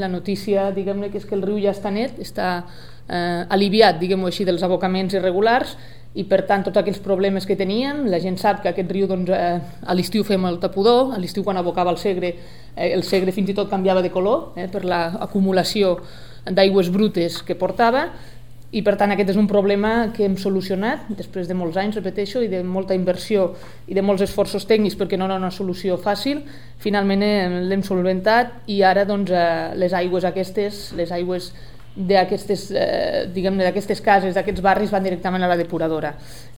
La notícia, diguem-ne, que és que el riu ja està net, està aliviat, diguem-ho així, dels abocaments irregulars i, per tant, tots aquells problemes que tenien. La gent sap que aquest riu, doncs, a l'estiu fem el tapudor, a l'estiu quan abocava el Segre fins i tot canviava de color per l'acumulació d'aigües brutes que portava. I, per tant, aquest és un problema que hem solucionat després de molts anys, repeteixo, i de molta inversió i de molts esforços tècnics perquè no era una solució fàcil. Finalment l'hem solventat i ara doncs, les aigües aquestes, les aigües d'aquestes cases, d'aquests barris, van directament a la depuradora.